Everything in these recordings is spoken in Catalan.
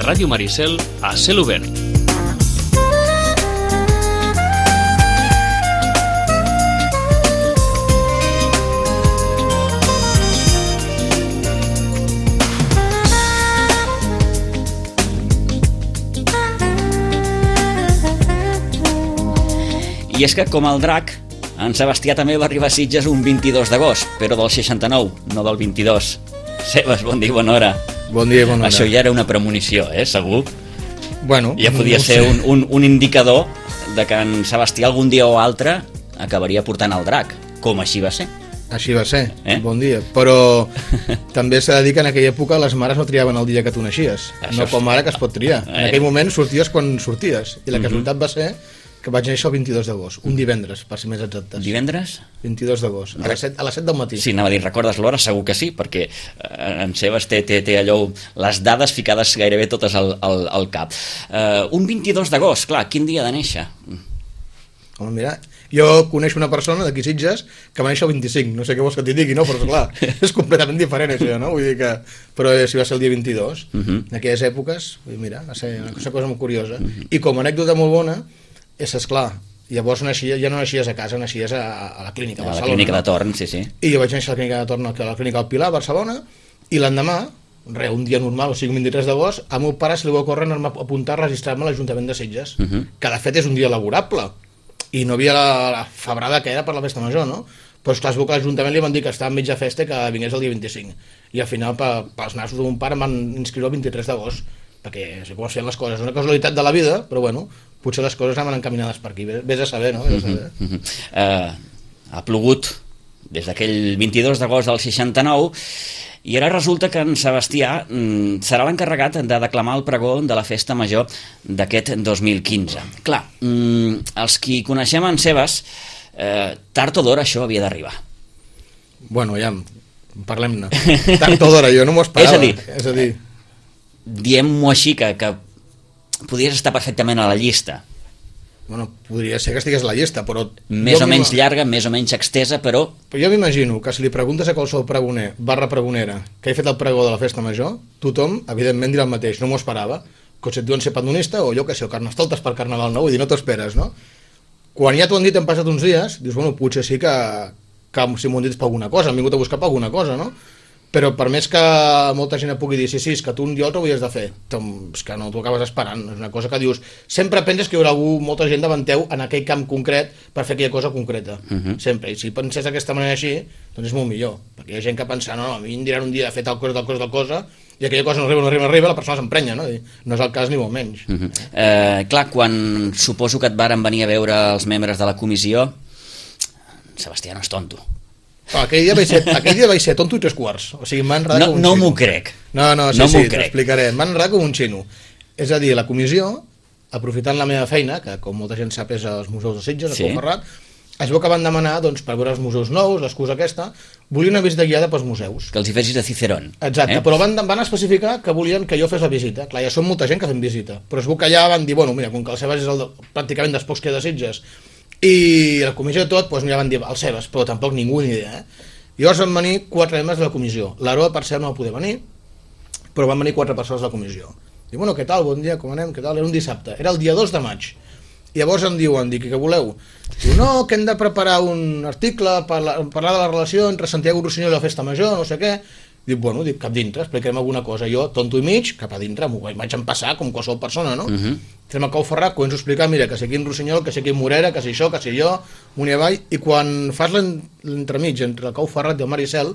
Ràdio Maricel, a cel obert. I és que, com el drac, en Sebastià també va arribar a Sitges un 22 d'agost, però del 69, no del 22. Sebas, bon dia i bona hora. Bon dia i bona hora. Això ja era una premonició, segur? Bueno, ja podia ser un indicador de que en Sebastià algun dia o altre acabaria portant el drac, com així va ser. Així va ser, bon dia. Però també s'ha de dir que en aquella època les mares no triaven el dia que tu naixies, no com ara que es pot triar. En aquell moment sorties quan sorties, i la casualitat va ser que vaig néixer el 22 d'agost, un divendres, per ser més exactes. Divendres? 22 d'agost, a les 7 del matí. Sí, anava a dir, recordes l'hora? Segur que sí, perquè en Sebas té allò, les dades ficades gairebé totes al cap. Un 22 d'agost, clar, quin dia de néixer? Home, mira, jo coneixo una persona d'aquí Sitges que va néixer el 25, no sé què vols que t'hi digui, no? Però clar, és completament diferent això, no? Vull dir que... Però si va ser el dia 22, en aquelles èpoques, mira, va ser una cosa molt curiosa. I com a anècdota molt bona, és esclar, llavors ja no naixies a casa, naixies a la clínica a Barcelona. A la clínica de Torn, sí. I jo vaig néixer a la clínica de Torn, a la clínica del Pilar, a Barcelona, i l'endemà, un dia normal, o sigui, un 23 d'agost, al meu pare se li va ocórrer anar-me a apuntar a registrar-me a l'Ajuntament de Sitges, que de fet és un dia laborable, i no havia la febrada que era per la festa major, no? Però esclar, es veu que a l'Ajuntament li van dir que estava en mitja festa i que vingués el dia 25, i al final, pels nassos de mon pare, em van inscriure el 23 d'agost, perquè sé com es feien les coses, és una casualitat de la vida, però bueno, potser les coses anaven encaminades per aquí, vés a saber, no? Ha plogut des d'aquell 22 d'agost del 69 i ara resulta que en Sebastià serà l'encarregat de declamar el pregó de la festa major d'aquest 2015. Clar, els qui coneixem en Sebas, tard o d'hora això havia d'arribar. Bueno, ja, parlem-ne. Tard o d'hora, jo no m'ho esperava. És a dir, diem-ho així, que podries estar perfectament a la llista. Bueno, podria ser que estigués a la llista, però... Més o menys llarga, més o menys extesa, però... Però jo m'imagino que si li preguntes a qualsevol pregoner, pregonera, que ha fet el pregó de la festa major, tothom, evidentment, dirà el mateix, no m'ho esperava, que si et diuen ser padronista, o jo que sé, o carnestoltes per Carnaval nou, vull dir, no t'ho esperes, no? Quan ja t'ho han dit, han passat uns dies, dius, bueno, potser sí que si m'ho han dit per alguna cosa, han vingut a buscar per alguna cosa, no? Però per més que molta gent pugui dir sí, és que tu un dia ho havies de fer, és que no t'ho acabes esperant, és una cosa que dius, sempre penses que hi haurà molta gent davant teu en aquell camp concret per fer aquella cosa concreta, sempre, i si penses d'aquesta manera així, doncs és molt millor, perquè hi ha gent que pensa, no, a mi em diran un dia de fer tal cosa, i aquella cosa no arriba, la persona s'emprenya, no? No és el cas ni molt menys. Clar, quan suposo que et varen venir a veure els membres de la comissió, Sebastià no és tonto. Aquell dia vaig ser tonto i 3/4. O sigui, m'ha enredat com un xino. No m'ho crec. No, sí, t'explicaré. M'ha enredat com un xino. És a dir, la comissió, aprofitant la meva feina, que com molta gent sap és als museus de Sitges, a Pou Ferrat, es veu que van demanar, doncs, per veure els museus nous, l'excusa aquesta, volia una visita guiada pels museus. Que els hi fessis de Cicerón. Exacte, però van especificar que volien que jo fes la visita. Clar, ja són molta gent que fem visita. Però es veu que allà van dir, bueno, mira, com que el Sebas és pràcticament dels pocs que hi ha de Sitges, i la comissió de tot, doncs ja van dir el Sebas, però tampoc ningú ni idea, Llavors van venir 4 membres de la comissió. L'Aroa, per cert, no va poder venir, però van venir 4 persones de la comissió. Diu, bueno, què tal, bon dia, com anem, què tal? Era un dissabte, era el dia 2 de maig. I llavors em diuen, dic, què voleu? Diu, no, que hem de preparar un article per parlar de la relació entre Santiago Rossinyol i la festa major, no sé què. Dic, bueno, cap dintre, explicarem alguna cosa. Jo, tonto i mig, cap a dintre, m'ho vaig empassar com qualsevol persona, no? Entrem a Cau Ferrat, començo a explicar, mira, que sé quin Rossinyol, que sé quin Morera, que sé això, que sé jo, amunt i avall, i quan fas l'entremig entre el Cau Ferrat i el Maricel,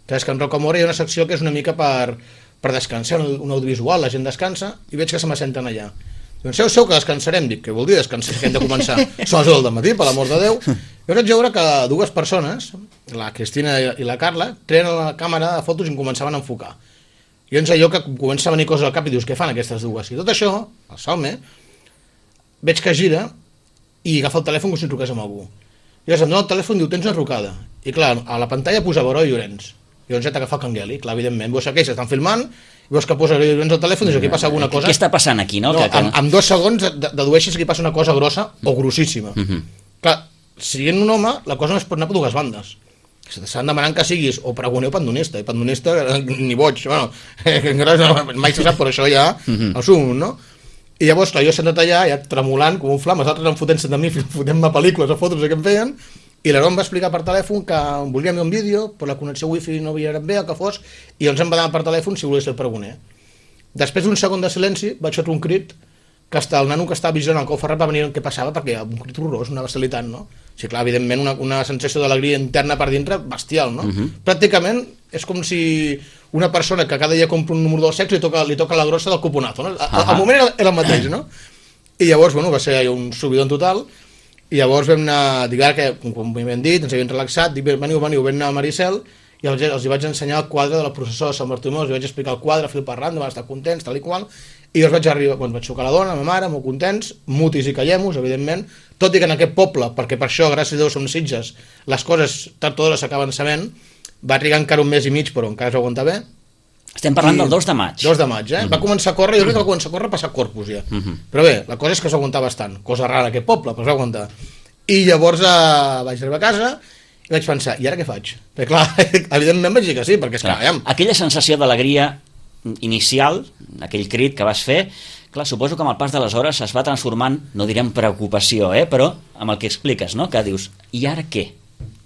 saps que en Rocamora hi ha una secció que és una mica per descansar, un audiovisual, la gent descansa, i veig que se m'assenten allà. Doncs seu que descansarem, dic, què vol dir descansar, que hem de començar? Són les 10 del matí, per l'amor de Déu. Jo vaig veure que 2 persones, la Cristina i la Carla, treien la càmera de fotos i em començaven a enfocar. I llavors allò que comença a venir coses al cap i dius, què fan aquestes dues? I tot això, el Salme, veig que gira i agafa el telèfon com si truqués amb algú. I llavors em dona el telèfon i diu, tens una trucada. I clar, a la pantalla posava Heroi Llorenç. I llavors ja t'agafa el cangueli, clar, evidentment. Veus que ells estan filmant, veus que posa Heroi Llorenç al telèfon i dius, aquí passa alguna cosa. Què està passant aquí, no? En 2 segons dedueixes que hi passa una cosa grossa o grossíssima. Clar, sent un home, la cosa no es pot anar per 2 bandes. Estan demanant que siguis o pregoner o pandonista, i pandonista ni boig, bueno, mai se sap, però això ja el sum, no? I llavors, clar, jo he sentat allà, ja tremolant com un flam, els altres em fotent-se de mi, fotent-me pel·lícules o fotos que em feien, i l'Aaron va explicar per telèfon que volíem un vídeo, però la connexió wifi no havia anat bé, el que fos, i ens em va demanar per telèfon si volia ser el pregoner. Després d'un segon de silenci, vaig fer un crit, que el nano que estava vigilant el cau ferrat va venir què passava, perquè un crit horrorós, una bestialitat, no? O sigui, clar, evidentment, una sensació d'alegria interna per dintre bestial, no? Pràcticament és com si una persona que cada dia compra un número del sexe li toca la grossa del cuponazo, no? Al moment era el mateix, no? I llavors, bueno, va ser un subidon total, i llavors vam anar, dic ara que, com m'havien dit, ens havien relaxat, dic, veniu, vam anar a Maricel, i els hi vaig ensenyar el quadre de la processó de Sant Bartomeu, els vaig explicar el quadre, fil per randa, van estar contents, tal i qual, i jo vaig arribar, quan vaig trucar a la dona, a la meva mare, molt contents, mutis i callemos, evidentment, tot i que en aquest poble, perquè per això, gràcies a Déu, som Sitges, les coses tard o d'hora s'acaben sabent, va trigar encara un mes i mig, però encara es va aguantar bé. Estem parlant del 2 de maig. 2 de maig, Va començar a córrer, jo crec que va començar a córrer a passar Corpus ja. Però bé, la cosa és que es va aguantar bastant, cosa rara aquest poble, però es va aguantar. I llavors vaig arribar a casa i vaig pensar, i ara què faig? Perquè clar, evidentment vaig dir que sí, perquè és que... Aquella sensació d'alegria inicial, aquell crit que vas fer, clar, suposo que amb el pas de les hores es va transformant, no direm preocupació, però amb el que expliques, no? Que dius, i ara què?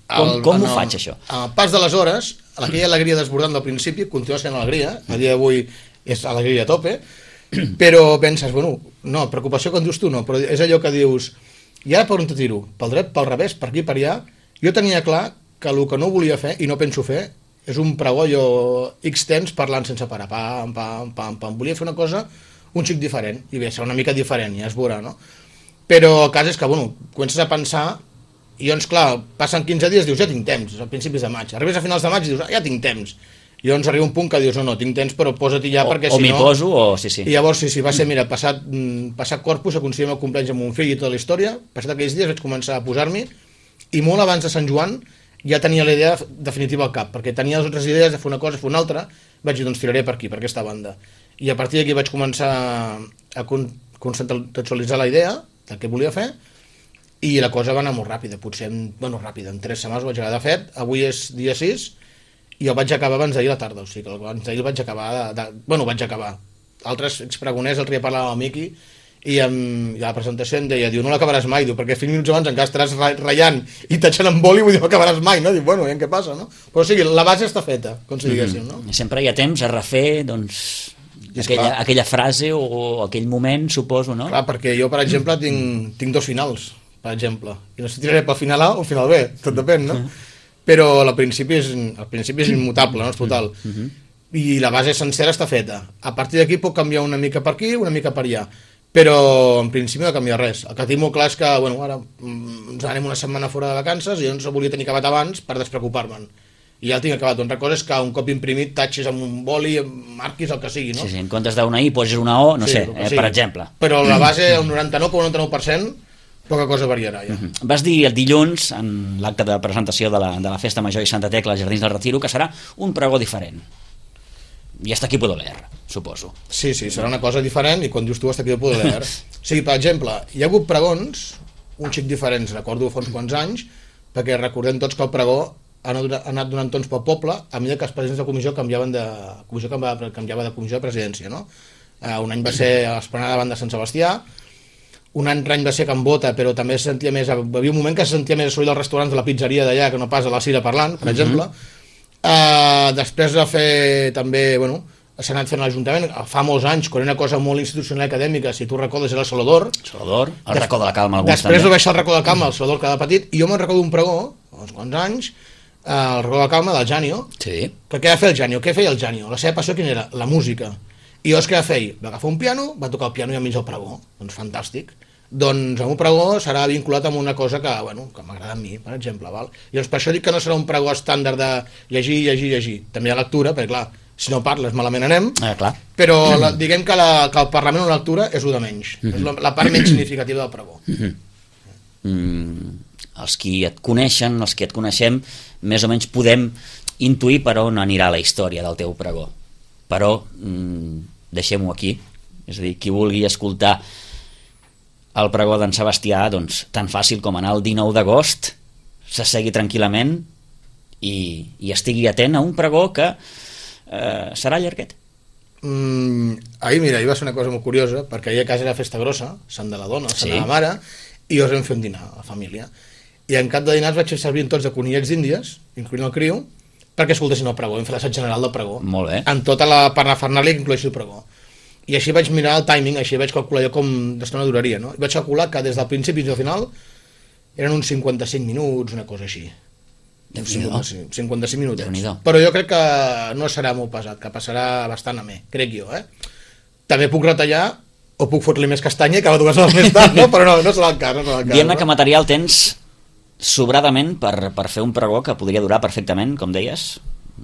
Com ho faig, això? Amb el pas de les hores, aquella alegria desbordant del principi continua sent alegria, a dia d'avui és alegria a tope, però penses, bueno, no, preocupació com dius tu no, però és allò que dius, i ara per on te tiro? Pel dret, pel revés, per aquí, per allà? Jo tenia clar que el que no volia fer, i no penso fer, és un pregó jo X temps parlant sense parar, pam, pam, pam, pam. Volia fer una cosa un xic diferent, i bé, serà una mica diferent, ja es veurà, no? Però el cas és que, bueno, comences a pensar, i llavors, clar, passen 15 dies, dius, ja tinc temps, a principis de maig. Arribes a finals de maig i dius, ja tinc temps. I llavors arriba un punt que dius, no, tinc temps, però posa-t'hi ja, perquè si no... O m'hi poso, o sí. I llavors, sí, va ser, mira, passat Corpus, aconseguim el compleanys amb un fill i tota la història, passat aquells dies vaig començar a posar-m'hi, i molt abans de Sant Joan ja tenia la idea definitiva al cap, perquè tenia les altres idees de fer una cosa, fer una altra, vaig dir, doncs tiraré per aquí, per aquesta banda. I a partir d'aquí vaig començar a conceptualitzar la idea del que volia fer, i la cosa va anar molt ràpida, potser, ràpida, en 3 setmanes ho vaig acabar de fet, avui és dia 6, i el vaig acabar abans d'ahir a la tarda, o sigui que abans d'ahir el vaig acabar, vaig acabar. Altres expregoners, l'altre dia parlava amb el Miqui, i a la presentació em deia, no l'acabaràs mai, perquè 5 minuts abans encara estaràs ratllant i tachant amb boli, vull dir, no l'acabaràs mai, no? Dic, bueno, veiem què passa, no? Però o sigui, la base està feta, com si diguéssim, no? Sempre hi ha temps a refer, doncs, aquella frase o aquell moment, suposo, no? Clar, perquè jo, per exemple, tinc 2 finals, per exemple, i no sé si tiraré pel final A o el final B, tot depèn, no? Però al principi és immutable, no? És total. I la base sencera està feta. A partir d'aquí pot canviar una mica per aquí, una mica per allà. Però en principi no canvia res. El que tinc molt clar és que ara ens anem una setmana fora de vacances i jo no volia tenir acabat abans per despreocupar-me'n. I ja el tinc acabat. Una cosa és que un cop imprimit tatxis amb un boli, marquis el que sigui, no? Sí, en comptes d'una I posis una O, no sé, per exemple. Però la base, el 99,99%, poca cosa variarà ja. Vas dir el dilluns, en l'acte de presentació de la Festa Major i Santa Tecla als Jardins del Retiro, que serà un pregó diferent. I hasta aquí puedo leer, suposo. Sí, serà una cosa diferent, i quan dius tu hasta aquí puedo leer. O sigui, per exemple, hi ha hagut pregons un xic diferents, recordo fa uns quants anys, perquè recordem tots que el pregó ha anat donant tons pel poble a mesura que els presidents de comissió canviava de comissió de presidència, no? Un any va ser a l'Esplanada davant de Sant Sebastià, un any va ser a Can Bota, però també se sentia més, hi havia un moment que se sentia més soroll dels restaurants de la pizzeria d'allà que no pas a la Cira parlant, per exemple. Després de fer també, s'ha anat fent a l'Ajuntament fa molts anys, quan era una cosa molt institucional i acadèmica, si tu recordes era el Salodor, el racó de la Calma, després ho baixar el racó de la Calma, el Salodor quedava petit, i jo me'n recordo un pregó, uns quants anys, el racó de la Calma del Janio, que què va fer el Janio? Què feia el Janio? La seva passió quina era? La música. I llavors què va fer? Va agafar un piano, va tocar el piano i enmig el pregó. Doncs fantàstic. Doncs el meu pregó serà vinculat amb una cosa que m'agrada a mi, per exemple. Val? I doncs per això dic que no serà un pregó estàndard de llegir. També hi ha lectura, perquè clar, si no parles malament anem, però diguem que el Parlament o la lectura és el de menys. És la part menys significativa del pregó. Els qui et coneixen, els que et coneixem, més o menys podem intuir per on anirà la història del teu pregó. Però deixem-ho aquí. És a dir, qui vulgui escoltar el pregó d'en Sebastià, doncs tan fàcil com anar el 19 d'agost, s'assegui tranquil·lament i estigui atent a un pregó que serà llarguet. Ahir va ser una cosa molt curiosa, perquè ahir a casa era festa grossa, Sant de la Dona, Sant de la Mare, i us vam fer un dinar a la família. I en cap de dinar vaig fer servir tots de conillets d'Índies, incloent el criu, perquè escoltessin el pregó, vam fer l'assaig general del pregó. Molt bé. En tota la parnafernàlia que incloeixi el pregó. I així vaig mirar el timing, així vaig calcular jo com d'estona duraria, no? I vaig calcular que des del principi fins al final eren uns 55 minuts, una cosa així. 55 minuts. Però jo crec que no serà molt pesat, que passarà bastant amè, crec jo, També puc retallar o puc fotre-li més castanya i acabar 2 hores més tard, no? Però no serà el cas. Diguem-ne que material tens sobradament per fer un pregó que podria durar perfectament, com deies,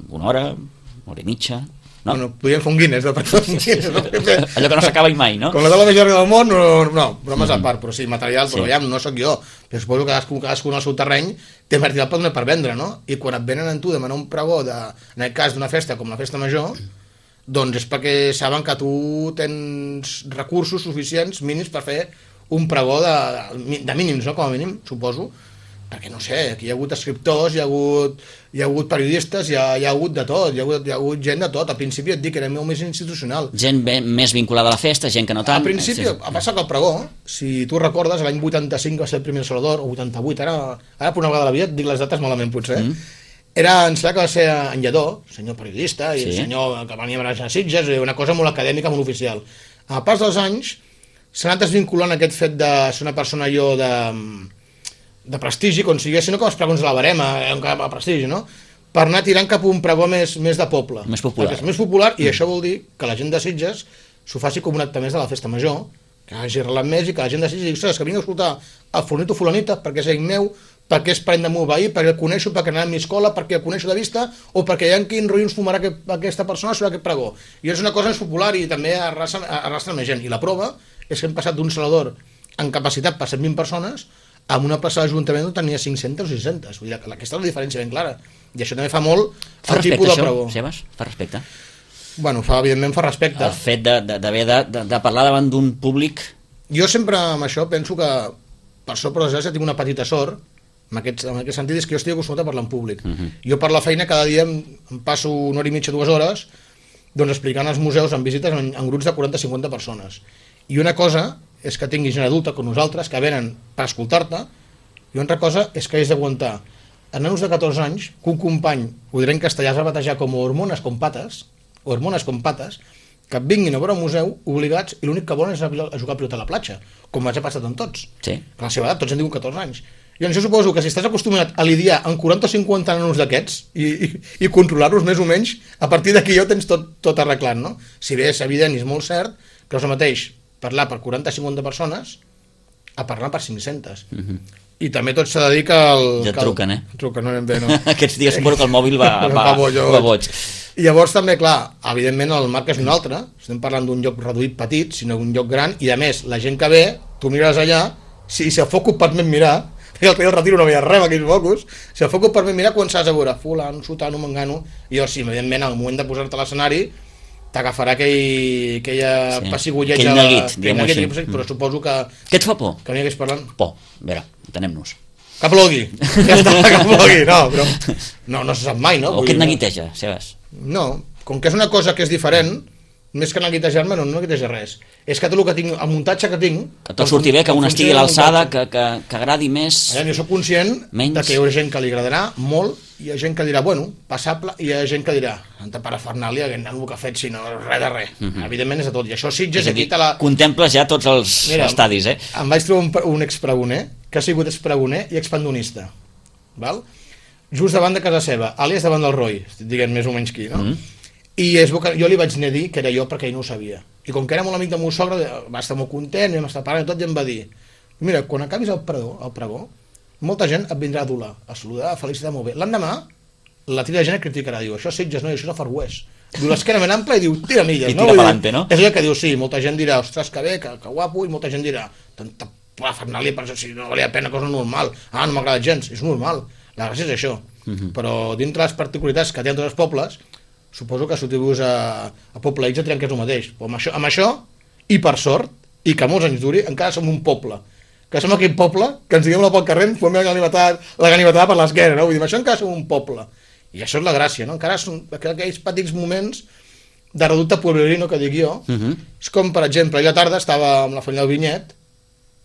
1 hora i mitja. No? Bueno, podríem fer un Guinness, no? Allò que no s'acaba mai, no? Com la taula més llarga del món, no, bromes a part, però sí, material, però ja no sóc jo. Però suposo que cadascú en el seu terreny té material per vendre, no? I quan et venen a tu demanar un pregó, en el cas d'una festa com la festa major, doncs és perquè saben que tu tens recursos suficients, mínims, per fer un pregó de mínims, no? Com a mínim, suposo. Perquè no sé, aquí hi ha hagut escriptors, hi ha hagut periodistes, hi ha hagut de tot, hi ha hagut gent de tot. Al principi et dic que era molt més institucional. Gent més vinculada a la festa, gent que no tant. Al principi, a passar que el pregó, si tu recordes, l'any 85 va ser el primer Salvador, o 88, ara per una vegada de la vida et dic les dates malament potser, em sembla que va ser en Lledó, senyor periodista, i el senyor que venia a Sitges, una cosa molt acadèmica, molt oficial. A pas dels anys, s'ha anat desvinculant aquest fet de ser una persona de prestigi, com siguessin, no com els pregons de la Barema, un cap a prestigi, no? Per anar tirant cap a un pregó més de poble. Més popular. Perquè és més popular, i això vol dir que la gent de Sitges s'ho faci com un acte més de la festa major, que hagi arrelat més i que la gent de Sitges digui, ostres, que vinc a escoltar el fornito fulanita perquè és amic meu, perquè és parent de meu veí, perquè el coneixo, perquè anava a mi escola, perquè el coneixo de vista, o perquè hi ha quin rotllo ens fumarà aquesta persona sobre aquest pregó. I és una cosa més popular i també arrastra més gent. I la prova és que hem passat d'un Salvador en capacitat per 120 persones amb una plaça d'Ajuntament on tenia 500 o 600. Vull dir, aquesta és la diferència ben clara. I això també fa molt el tipus de pregó. Sebas? Fa respecte? Bueno, evidentment fa respecte. El fet d'haver de parlar davant d'un públic... Jo sempre amb això penso que, per sort per desgràcia, tinc una petita sort, en aquest sentit és que jo estic acostumat a parlar en públic. Jo per la feina cada dia em passo 1 hora i mitja, 2 hores, doncs explicant als museus en visites en grups de 40-50 persones. I una cosa és que tinguis gent adulta com nosaltres, que venen per escoltar-te, i una altra cosa és que has d'aguantar a nanos de 14 anys que un company, ho diré en castellà, es va batejar com hormones com pates, que et vinguin a veure un museu obligats i l'únic que volen és a jugar a pilota a la platja, com ens ha passat amb tots. Sí. A la seva edat, tots han tingut 14 anys. I jo suposo que si estàs acostumat a lidiar amb 40 o 50 nanos d'aquests i controlar-los més o menys, a partir d'aquí ja ho tens tot arreglat, no? Si bé és evident i és molt cert que és el mateix parlar per 40-50 persones a parlar per 500. I també tot s'ha de dir que ja et truquen, Truquen, no anem bé, no? Aquests dies suposo que el mòbil va boig. I llavors també, clar, evidentment el marc és un altre, estem parlant d'un lloc reduït petit, sinó d'un lloc gran, i a més, la gent que ve, tu mires allà, si el focus permet mirar, perquè el retiro no veia res amb aquells focus, si el focus permet mirar, quan s'has de veure fulano, sotano, mangano, i llavors sí, evidentment, al moment de posar-te a l'escenari, t'agafarà aquella pessigolleig, aquell neguit, però suposo que... Què et fa por? Que n'hi hagués parlant. Por, a veure, entenem-nos. Que plogui, ja està, que plogui, no, però no se sap mai, no? O que et neguiteja, Sebas? No, com que és una cosa que és diferent, més que neguitejar-me no neguiteja res. És que tot el que tinc, el muntatge que tinc... Que tot surti bé, que un estigui a l'alçada, que agradi més... Jo soc conscient que hi ha gent que li agradarà molt, hi ha gent que dirà, bueno, passable, i hi ha gent que dirà, tanta parafernàlia, aquest nano que ha fet, sinó res de res. Evidentment és de tot, i això Sitges... És a dir, contemples ja tots els estadis, Em vaig trobar un expregoner, que ha sigut expregoner i expandonista, val? Just davant de casa seva, àlies davant del Roi, estic dient més o menys qui, no? I jo li vaig dir que era jo perquè ell no ho sabia. I com que era molt amic del meu sogre, va estar molt content, vam estar parlant i tot, i em va dir, mira, quan acabis el pregó, molta gent et vindrà a adular, a saludar, a felicitar molt bé. L'endemà, la tira de gent et criticarà, diu, això és Sitges, no, això és el Far West. Diu l'esquena ben ampla i diu, tira milles, no? I tira pa'lante, no? És allò que diu, sí, molta gent dirà, ostres, que bé, que guapo, i molta gent dirà, tanta parafernàlia, per això si no valia pena, cosa normal. Ah, no m'agrada gens, és normal. La gràcia és això. Però dintre les particularitats que tenen tots els pobles, suposo que si tu vius a Poble X et diran que és el mateix. Però amb això, i per sort, i que molts anys duri, encara som un poble. Que som aquell poble que ens diguem pel carrer, ens fem la ganivetada per l'esquena, no? Vull dir, amb això encara som un poble. I això és la gràcia, no? Encara són aquells petits moments de reducte pueblerino, que dic jo. És com, per exemple, ahir a la tarda estava amb la família del Vinyet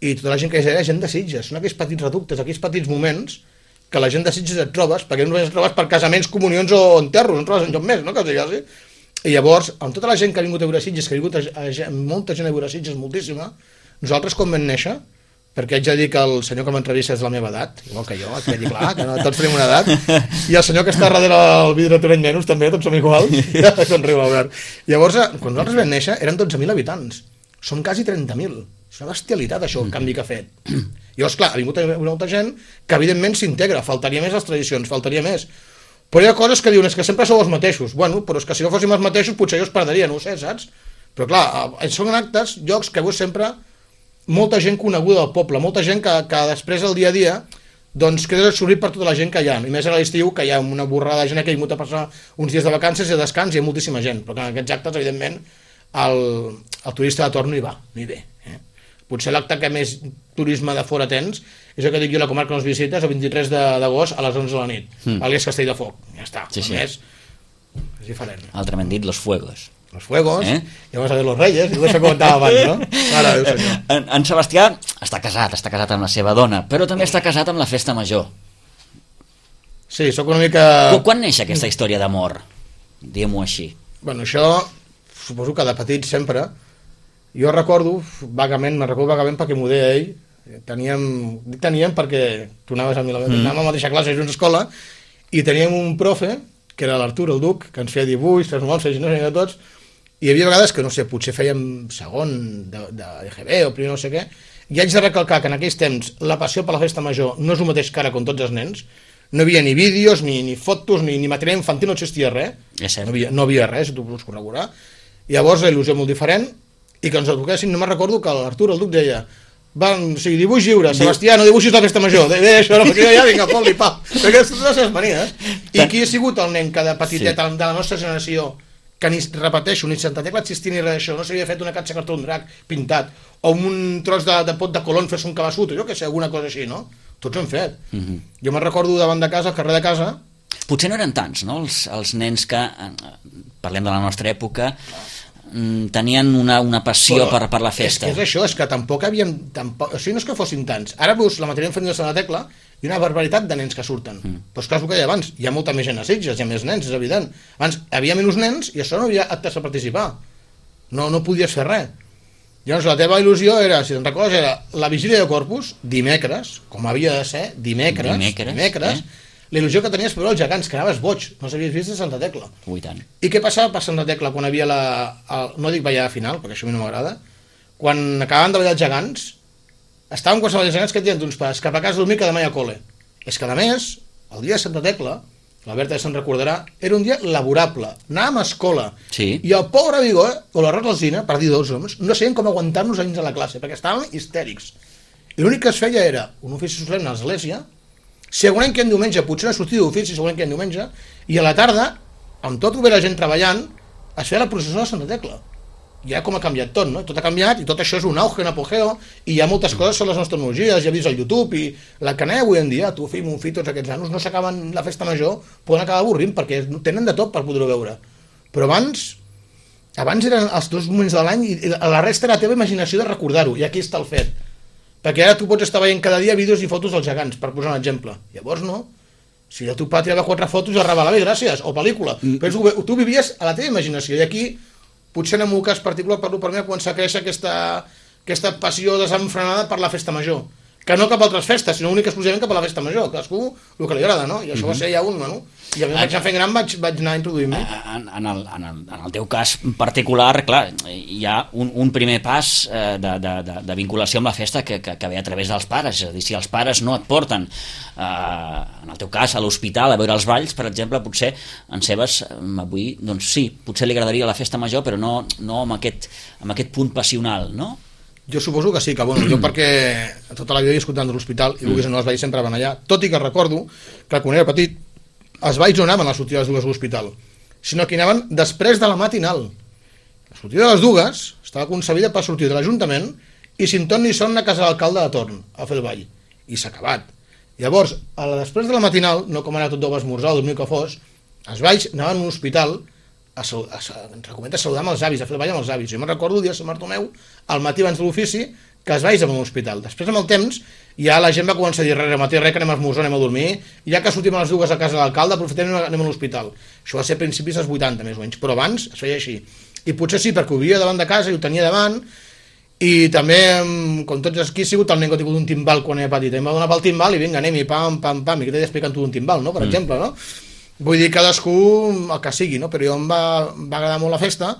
i tota la gent que hi era gent de Sitges. Són aquells petits reductes, aquells petits moments que la gent de Sitges et trobes, perquè només et trobes per casaments, comunions o enterros, no et trobes enlloc més, no? Que sigui. I llavors, amb tota la gent que ha vingut a veure Sitges, que ha vingut molta gent a veure Sitges, moltíssima, nosaltres quan vam néixer, perquè haig de dir que el senyor que m'entrevista és de la meva edat, igual que jo, que quedi clar, que no, tots tenim una edat, i el senyor que està darrere el vidre Torrent menys també, tots som iguals, ja com riu l'Albert. Llavors, quan nosaltres vam néixer, eren 12.000 habitants, som quasi 30.000, és una bestialitat això, el canvi que ha fet. Llavors, clar, ha vingut molta gent que evidentment s'integra, faltaria més les tradicions, faltaria més, però hi ha coses que diuen, és que sempre sou els mateixos. Bueno, però és que si no fóssim els mateixos potser jo es perdria, no ho sé, saps? Però clar, són actes, llocs que veus sempre molta gent coneguda del poble, molta gent que després del dia a dia doncs quedes absorbit per tota la gent que hi ha, i més a l'estiu, que hi ha una borrada de gent que ha vingut a passar uns dies de vacances i de descans, hi ha moltíssima gent, però en aquests actes, evidentment, el turista de torn no hi va, no hi ve. Potser l'acte que més turisme de fora tens és el que dic jo, la comarca que ens visites el 23 d'agost a les 11 de la nit, a l'Es Castell de Foc, ja està, és diferent. Altrament dit, los fuegos. Los fuegos, i vamos a ver los reyes, i ho deixo comentava abans, no? Ara, Déu senyor. En Sebastià està casat amb la seva dona, però també està casat amb la festa major. Sí, sóc una mica... Quan neix aquesta història d'amor? Diguem-ho així. Bueno, això, suposo que de petit sempre... Jo recordo vagament perquè m'ho deia ell, teníem perquè tu anaves a anàvem a la mateixa classe junts a escola, i teníem un profe, que era l'Artur, el Duc, que ens feia dibuix, transformar-se, no sé, tots, i hi havia vegades que, no sé, potser fèiem segon d'EGB o primer no sé què, i haig de recalcar que en aquells temps la passió per la festa major no és el mateix que ara com tots els nens, no hi havia ni vídeos, ni fotos, ni material infantil, no existia res, no havia res, tu vols corroborar, llavors la il·lusió molt diferent, i que ens toquessin, no me'n recordo que l'Artur, el Duc, deia dibuix lliure, Sebastià, no dibuixis la festa major, això, no, perquè jo ja vinc a fot-li, pam, perquè són les seves manies. I qui ha sigut el nen que de petitet de la nostra generació, que ni, repeteixo, ni Santa Tecla existia ni res d'això, no s'havia fet una catxa cartó d'un drac pintat, o un tros de pot de colón fer-se un cabassut, jo què sé, alguna cosa així, no? Tots ho hem fet. Jo me'n recordo davant de casa, al carrer de casa... Potser no eren tants, no?, els nens que, parlem de la nostra època, tenien una passió per la festa. És que és això, és que tampoc havien... o sigui, no és que fossin tants. Ara veus la matèria infantil de Santa Tecla i una barbaritat de nens que surten. Però és clar, el que deia abans, hi ha molta més gent a Sitges, hi ha més nens, és evident. Abans hi havia menys nens i això no havia actes a participar. No podies fer res. Llavors la teva il·lusió era, si te'n recordes, era la vigília de Corpus, dimecres, com havia de ser, dimecres, la il·lusió que tenies per veure els gegants, que anaves boig, no els havies vist de Santa Tecla. Ui, tant. I què passava per Santa Tecla quan havia no dic ballada final, perquè això a mi no m'agrada, quan acabaven de ballar els gegants, estaven qualsevol dels gegants que et diuen d'uns pares, cap a casa a dormir que demà hi ha col·le. És que a més, el dia de Santa Tecla, la Berta ja se'n recordarà, era un dia laborable, anàvem a escola, i el pobre Vigó, o la Rosalzina, per dir dos homes, no sabien com aguantar-nos a dins de la classe, perquè estàvem histèrics. I l'únic que es feia era un ofici solemne a l'església, si algun any que en diumenge, potser una sortida d'ofici, si algun any que en diumenge, i a la tarda, amb tot ve la gent treballant, es feia la processó de Santa Tecla. Ja com ha canviat tot, no? Tot ha canviat i tot això és un auge, un apogeo, i hi ha moltes coses sobre les nostres tecnologies, ja vist al YouTube, i la canalla avui en dia, tu, fill, mon fill, tots aquests nanos, no s'acaben la festa major, poden acabar avorrint, perquè tenen de tot per poder-ho veure. Però abans eren els dos moments de l'any, i la resta era la teva imaginació de recordar-ho, i aquí està el fet. Perquè ara tu pots estar veient cada dia vídeos i fotos dels gegants, per posar un exemple. Llavors no. Si el teu pare tirava 4 fotos i el revelava, bé, gràcies, o pel·lícula. Però tu vivies a la teva imaginació, i aquí, potser en el meu cas particular, per mi va començar a créixer aquesta passió desenfrenada per la festa major. Que no cap a altres festes, sinó únic exclusivament cap a la festa major. Cadascú el que li agrada, no? I això va ser ja no? I a mi vaig anar fent gran, vaig anar introduint-me. En el teu cas particular, clar, hi ha un primer pas de vinculació amb la festa que ve a través dels pares. És a dir, si els pares no et porten, en el teu cas, a l'hospital a veure els balls, per exemple, potser en Sebas avui, doncs sí, potser li agradaria la festa major, però no amb aquest punt passional, no? Jo suposo que sí, que bueno, jo perquè tota la vida he escoltat de l'hospital i vulguis o no, els balls sempre van allà, tot i que recordo que quan era petit els balls no anaven a les sortides de les dues a l'hospital, sinó que anaven després de la matinal. La sortida de les dues estava concebida per sortir de l'Ajuntament i sin ton ni son a casa de l'alcalde de torn a fer el ball, i s'ha acabat. Llavors, després de la matinal, no com ara tot deu esmorzar o dormir que fos, anaven a un hospital ens recommenda saludar amb els avis, a fer el ball amb els avis. Jo me'n recordo el dia de Sant Bartomeu, al matí abans de l'ofici, que es vagi a un hospital. Després, amb el temps, ja la gent va començar a dir res, matí res, que anem a esmorzar, anem a dormir, i ja que sortim a les 2 a casa de l'alcalde, aprofitem i anem a l'hospital. Això va ser a principis dels 80, més o menys, però abans es feia així. I potser sí, perquè ho vivia davant de casa i ho tenia davant, i també, com tots aquí, ha sigut el nen que ha tingut un timbal quan era petit. Em va donar pel timbal i vinga, anem-hi, pam, pam, pam, i que t'he d'explicar tu un timbal, no? Per exemple, no? Vull dir, cadascú el que sigui, no? Però jo em va agradar molt la festa,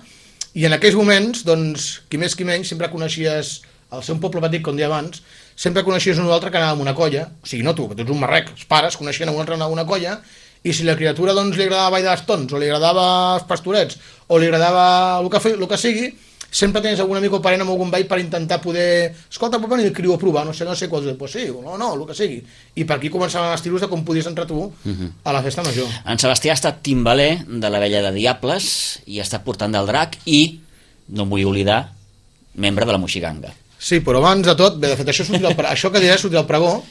i en aquells moments, doncs, qui més qui menys, sempre coneixies, al ser un poble petit, com deia abans, sempre coneixies un altre que anava amb una colla, o sigui, no tu, que tu ets un marrec, els pares coneixien un altre que anava amb una colla, i si la criatura doncs li agradava ball de bastons, o li agradava els pastorets, o li agradava el que sigui, sempre tens algun amic o parent amb algun ball per intentar poder... Escolta, pot venir el criu a provar, no sé quals... Pues sí, no, el que sigui. I per aquí començaven els tiros de com podies entrar tu a la festa major. En Sebastià ha estat timbaler de la Vella de Diables i ha estat portant del drac i, no em vull oblidar, membre de la Moixiganga. Sí, però abans de tot, bé, de fet, això que diré sortir al pregó,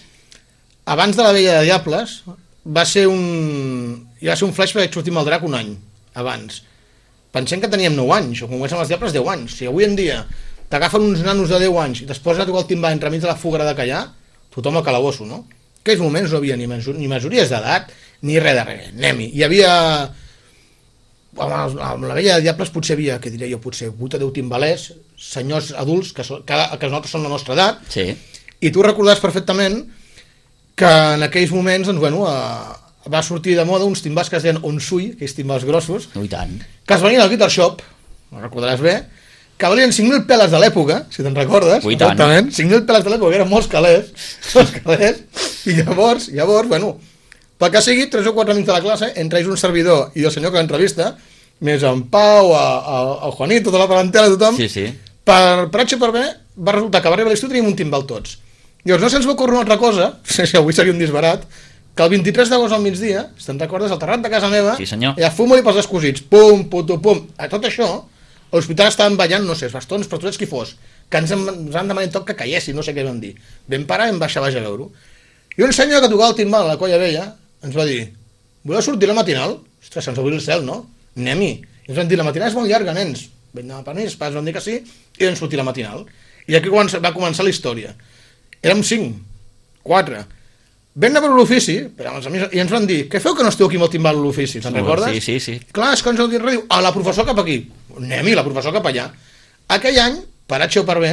abans de la Vella de Diables va ser un flash perquè vaig sortir amb el drac un any abans. Pensem que teníem 9 anys, o com és amb els diables 10 anys. Si avui en dia t'agafen uns nanos de 10 anys i després a tocar el timbal entremig de la fuga de callar, tothom al calabosso, no? En aquells moments no havia ni majories d'edat, ni res de res. Anem-hi. Hi havia... Amb la Vella de Diables potser havia, què diré jo, potser 8 o 10 timbalers, senyors adults, que nosaltres som la nostra edat, sí. I tu recordaràs perfectament que en aquells moments, doncs, bueno, va sortir de moda uns timbals que es deien Onsui, aquells timbals grossos, I tant. que es venien al Guitar Shop, no recordaràs bé, que valien 5.000 peles de l'època, si te'n recordes, exactament, 5.000 peles de l'època, eren molts calés, i llavors, bueno, pel que sigui, 3 o 4 amics de la classe, entre ells un servidor i el senyor que l'entrevista, més en Pau, el Juanito, tota la parentela, tothom, sí. per H per B, va resultar que va arribar a l'estiu teníem un timbal tots. Llavors no se'ns va ocórrer una altra cosa, si avui seria un disbarat, que el 23 d'agost al migdia, si te'n recordes, al terrat de casa meva, sí, senyor. Hi ha fum-li pels descosits, pum, puto, pum. A tot això, a l'hospital estaven ballant, no sé, els bastons, pastorets, qui fos, que ens han demanat tot que callessin, no sé què vam dir. Vam parar i vam baixar a veure-ho. I un senyor que tocava el timbal a la colla vella ens va dir, voleu sortir la matinal? Ostres, se'ns obrir el cel, no? Anem-hi. I ens van dir, la matinal és molt llarga, nens. Vam anar per nens, pas vam dir que sí, i vam sortir la matinal. I aquí va començar la història. Érem 5, 4... Vam anar per l'ofici, i ens van dir, què feu que no esteu aquí amb el timbal a l'ofici, te'n recordes? Sí. Clar, és que ens heu dit res, diu, la professor cap aquí. Anem-hi, la professor cap allà. Aquell any, per H o per B,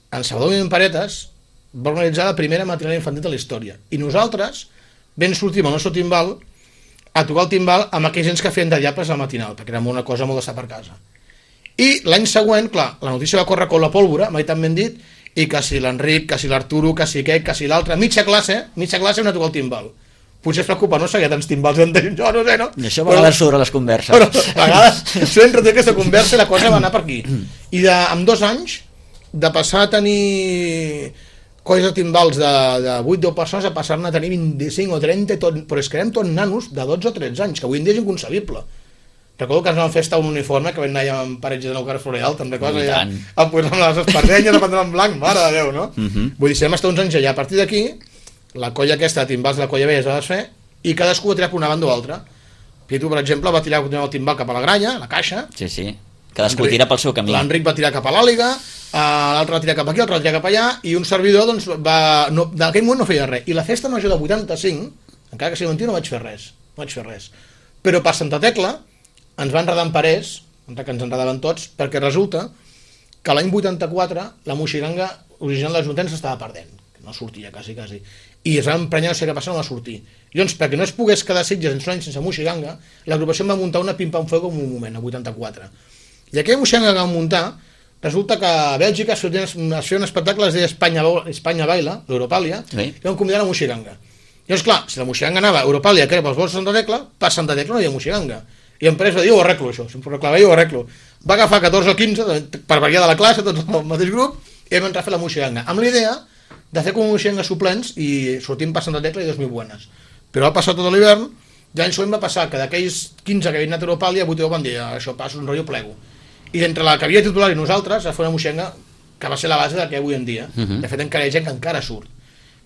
en Salvador Paretes va organitzar la primera matinal infantil de la història. I nosaltres vam sortir amb el nostre timbal a tocar el timbal amb aquells gens que feien de diables a la matinal, perquè era una cosa molt d'estar per casa. I l'any següent, clar, la notícia va córrer com la pólvora, mai tan ben dit, i que si l'Enric, que si l'Arturo, que si aquest, que si l'altre, mitja classe una tocar el timbal. Potser es preocupa, no sé, hi ha tants timbals jo no sé, no? I això a vegades sobre les converses. Però a vegades sempre té aquesta conversa i la cosa va anar per aquí. I amb 2 anys, de passar a tenir colles de timbals de 8 o 10 persones a passar-ne a tenir 25 o 30, però és que érem tots nanos de 12 o 13 anys, que avui en dia és inconcebible. Recordo que ens vam fer estar un uniforme que vam anar amb paretges de Nou Carrer Floreal, te'n recordes? A posar amb les espardenyes, a prendre en blanc, mare de Déu, no? Vull dir, si vam estar uns anys allà, a partir d'aquí, la colla aquesta de timbals de la colla vella es va desfer i cadascú va tirar per una banda o altra. Pitu, per exemple, va tirar el timbal cap a la gralla, a la caixa. Sí. Cadascú tira pel seu camí. L'Enric va tirar cap a l'àliga, l'altre va tirar cap aquí, l'altre va tirar cap allà, i un servidor, doncs, d'aquell moment no feia res. I la festa major de 85, encara que sigui mentida, no vaig fer res. Però per Santa Tecla ens van enredar en parers, que ens enredaven tots, perquè resulta que l'any 84 la Moixiganga original de l'Ajuntament s'estava perdent, que no sortia quasi, i es van emprenyar, no sé què passa, no va sortir. I doncs, perquè no es pogués quedar Sitges en un any sense Moixiganga, l'agrupació va muntar una pim-pam-fuego en un moment, a 84. I aquella Moixiganga que van muntar, resulta que a Bèlgica es feia un espectacle, es deia Espanya Baila, l'Europàlia, i van convidar la Moixiganga. I doncs, clar, si la Moixiganga anava a Europàlia, que era pels vols de Santa Tecla, per Santa Tecla no hi havia Moixiganga. I en Pérez va dir, ho arreglo això, si em proclamava jo ho arreglo. Va agafar 14 o 15 per variar de la classe, tots al mateix grup, i vam entrar a fer la Moixiganga, amb l'idea de fer com Moixiganga suplents i sortim per Santa Tecla i 2.000 buenas. Però va passar tot l'hivern, i l'any següent va passar que d'aquells 15 que havien anat a Europàlia, 8 van dir, això passa un rotllo plego. I entre la que havia titular i nosaltres, es fa una Moixiganga que va ser la base del que avui en dia. De fet, encara hi ha gent que encara surt.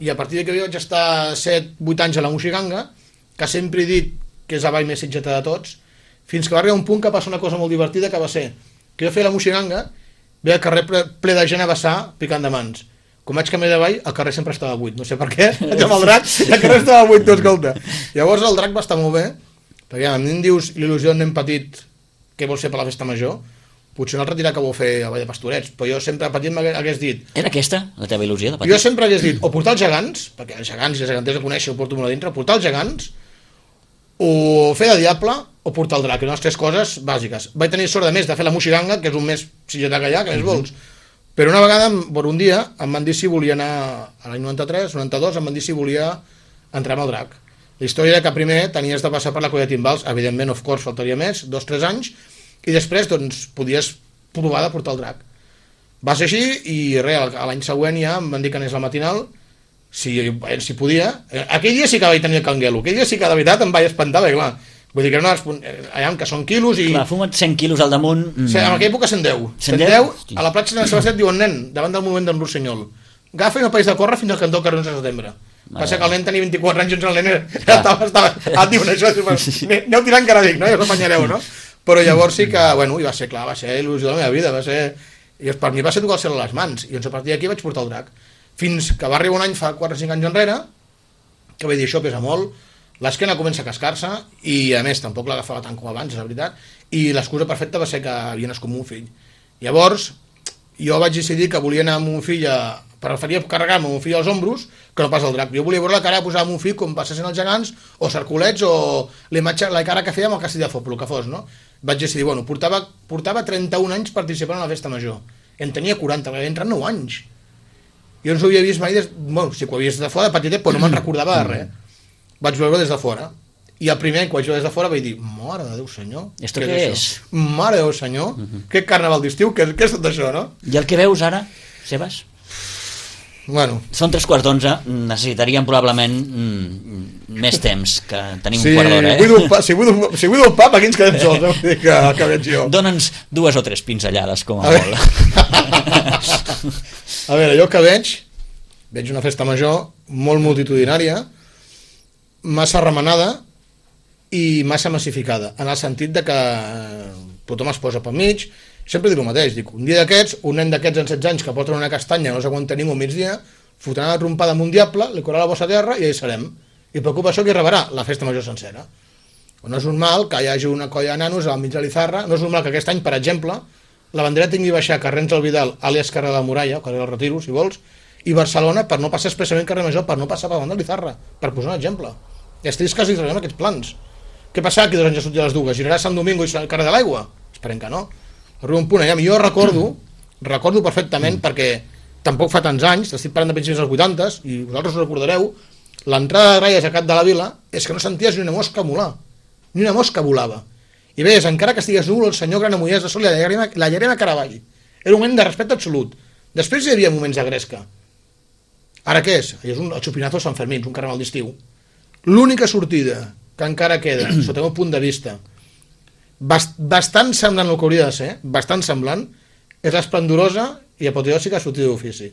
I a partir d'aquí vaig estar 7-8 anys a la Moixiganga, que sempre he dit que és la ball més sitgeta de tots, fins que va arribar un punt que passa una cosa molt divertida, que va ser que jo feia la moixiganga, veia el carrer ple de gent a vessar picant de mans. Com vaig canviar de ball, el carrer sempre estava buit. No sé per què, vaig amb el drac, el carrer estava buit, tu, escolta. Llavors el drac va estar molt bé, perquè a mi em dius l'il·lusió d'un nen petit que vol ser per la festa major, potser un altre dirà que vol fer el ball de Pastorets, però jo sempre petit m'hagués dit... Era aquesta, la teva il·lusió de petit? Jo sempre hagués dit, o portar els gegants, perquè els gegants i les geganters de conèixer ho porto molt a dintre, portar els gegants, o fer de diable, o portar el drac, eren les tres coses bàsiques. Vaig tenir sort, a més, de fer la moixiganga, que és un més sitgetà que hi ha, que més vols. Però una vegada, un dia, em van dir si volia anar, a l'any 93, 92, em van dir si volia entrar amb el drac. La història era que primer tenies de passar per la colla de timbals, evidentment, of course, faltaria més, 2-3 anys, i després, doncs, podies provar de portar el drac. Va ser així, i res, l'any següent ja em van dir que anés la matinal, si podia. Aquell dia sí que vaig tenir el canguelo, aquell dia sí que de veritat em vaig espantar, perquè clar, vull dir que allà que són quilos i... Clar, fuma't 100 quilos al damunt... Sí, en aquella època 110. 110, a la platja de Sant Sebastià et diuen, nen, davant del monument d'en Rossinyol, agafa i no país de córrer fins al cantó carrer 11 de setembre. Va ser que el nen tenia 24 anys i el nen et diuen això, aneu tirant que ara dic, no? Ja us apanyareu, no? Però llavors sí que, bueno, i va ser clar, va ser il·lusió de la meva vida, va ser... I per mi va ser tocar el cel a les mans, i doncs a partir d'aquí vaig portar el drac. Fins que va arribar un any, fa 4 o 5 anys enrere, que vaig dir, això pesa molt, l'esquena comença a cascar-se, i a més tampoc l'agafava tant com abans, és la veritat, i l'excusa perfecta va ser que havia nascut un fill. Llavors, jo vaig decidir que volia anar amb un fill preferia carregar-me un fill als ombros que no pas el drac. Jo volia veure la cara que posava un fill com passessin els gegants, o cerculets, o la cara que feia amb el castell de foc, el que fos, no? Vaig decidir, bueno, portava 31 anys participant en la festa major. En tenia 40, havia entrat 9 anys. Jo no s'ho havia vist mai, bueno, sí que ho havia vist de fora, de petitet, però no me'n recordava de res. Vaig veure des de fora. I el primer any que vaig veure des de fora vaig dir, mare de Déu senyor, ¿Esto què és? Mare de Déu senyor, què carnaval d'estiu, què és tot això, no? I el que veus ara, Sebas? Bueno. Són 3:15, necessitaríem probablement més temps, que tenim un quart d'hora, Si vull el pap, aquí ens quedem sols, vull dir que veig jo. Dóna'ns 2 o 3 pinzellades, com a molt. A veure, jo que veig una festa major molt multitudinària, massa remenada i massa massificada, en el sentit de que tothom es posa pel mig. Sempre dic el mateix, dic, un dia d'aquests, un nen d'aquests en 16 anys que porta una castanya, no s'aguanta ningú al migdia, fotrà una trompada amb un diable, li correrà la bossa a terra i ja hi serem. I preocupa això qui rebrà la festa major sencera. No és normal que hi hagi una colla de nanos al mig de l'Izarra, no és normal que aquest any, per exemple, la bandera tingui baixar carrers del Vidal, àlies carrer de la Muralla, carrer del Retiro, si vols, i Barcelona per no passar expressament carrer Major, per no passar per davant de l'Izarra, per posar un exemple. I és trist que els rebem aquests plans. Què passarà que 2 anys ja sortir a les dues? Girarà Sant Domingo i carrer de l'Aigua? Esperem que no. Arriba un punt allà, jo recordo perfectament, perquè tampoc fa tants anys, estic parlant de principis dels 80s, i vosaltres ho recordareu, l'entrada de gralles a Cap de la Vila és que no senties ni una mosca volar, ni una mosca volava. I veies, encara que estigués núvol, el senyor Granamollers de Sol i la llarema Caravall. Era un moment de respecte absolut. Després hi havia moments de gresca. Ara què és? És el xupinazo de Sant Fermín, un carnaval d'estiu. L'única sortida que encara queda, sota el meu punt de vista, bastant semblant el que hauria de ser, bastant semblant, és l'esplendorosa i apoteòsica sortida d'ofici.